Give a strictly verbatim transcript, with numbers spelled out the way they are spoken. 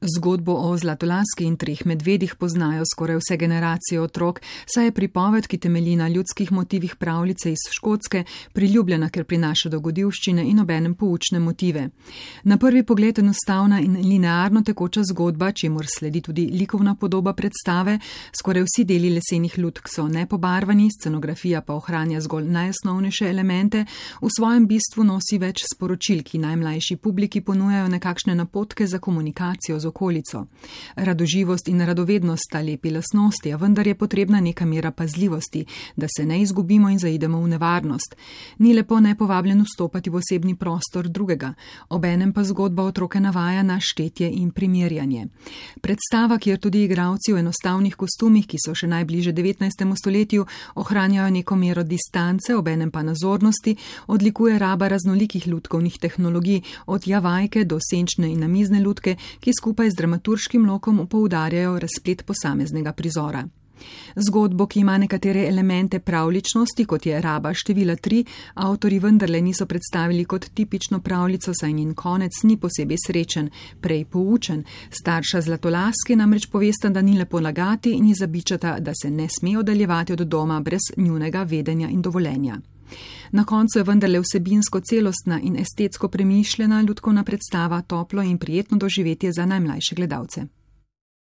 Zgodbo o Zlatolaski in treh medvedih poznajo skoraj vse generacije otrok, saj je pripoved, ki temelji na ljudskih motivih pravljice iz Škotske, priljubljena, ker prinaša dogodivščine in obenem poučne motive. Na prvi pogled enostavna in linearno tekoča zgodba, čemur sledi tudi likovna podoba predstave, skoraj vsi deli lesenih lutk so nepobarvani, scenografija pa ohranja zgolj najosnovnejše elemente, v svojem bistvu nosi več sporočil, ki najmlajši publiki ponujajo nekakšne napotke za komunikacijo z okolico. Radoživost in radovednost sta lepi lastnosti, a vendar je potrebna neka mera pazljivosti, da se ne izgubimo in zaidemo v nevarnost. Ni lepo nepovabljeno vstopati v osebni prostor drugega, obenem pa zgodba otroke navaja na štetje in primerjanje. Predstava, kjer tudi igralci v enostavnih kostumih, ki so še najbliže devetnajstemu stoletju, ohranjajo neko mero distance, obenem pa nazornosti, odlikuje raba raznolikih lutkovnih tehnologij, od javajke do senčne in namizne lutke, ki skupaj z dramaturškim lokom poudarjajo razplet posameznega prizora. Zgodbo, ki ima nekatere elemente pravljičnosti, kot je raba števila tri, avtorji vendarle niso predstavili kot tipično pravljico, saj njen konec ni posebej srečen, prej poučen. Starša Zlatolaski namreč povesta, da ni lepo lagati in ji zabičata, da se ne sme oddaljevati od doma brez njunega vedenja in dovoljenja. Na koncu je vendarle vsebinsko celostna in estetsko premišljena lutkovna predstava, toplo in prijetno doživetje za najmlajše gledalce.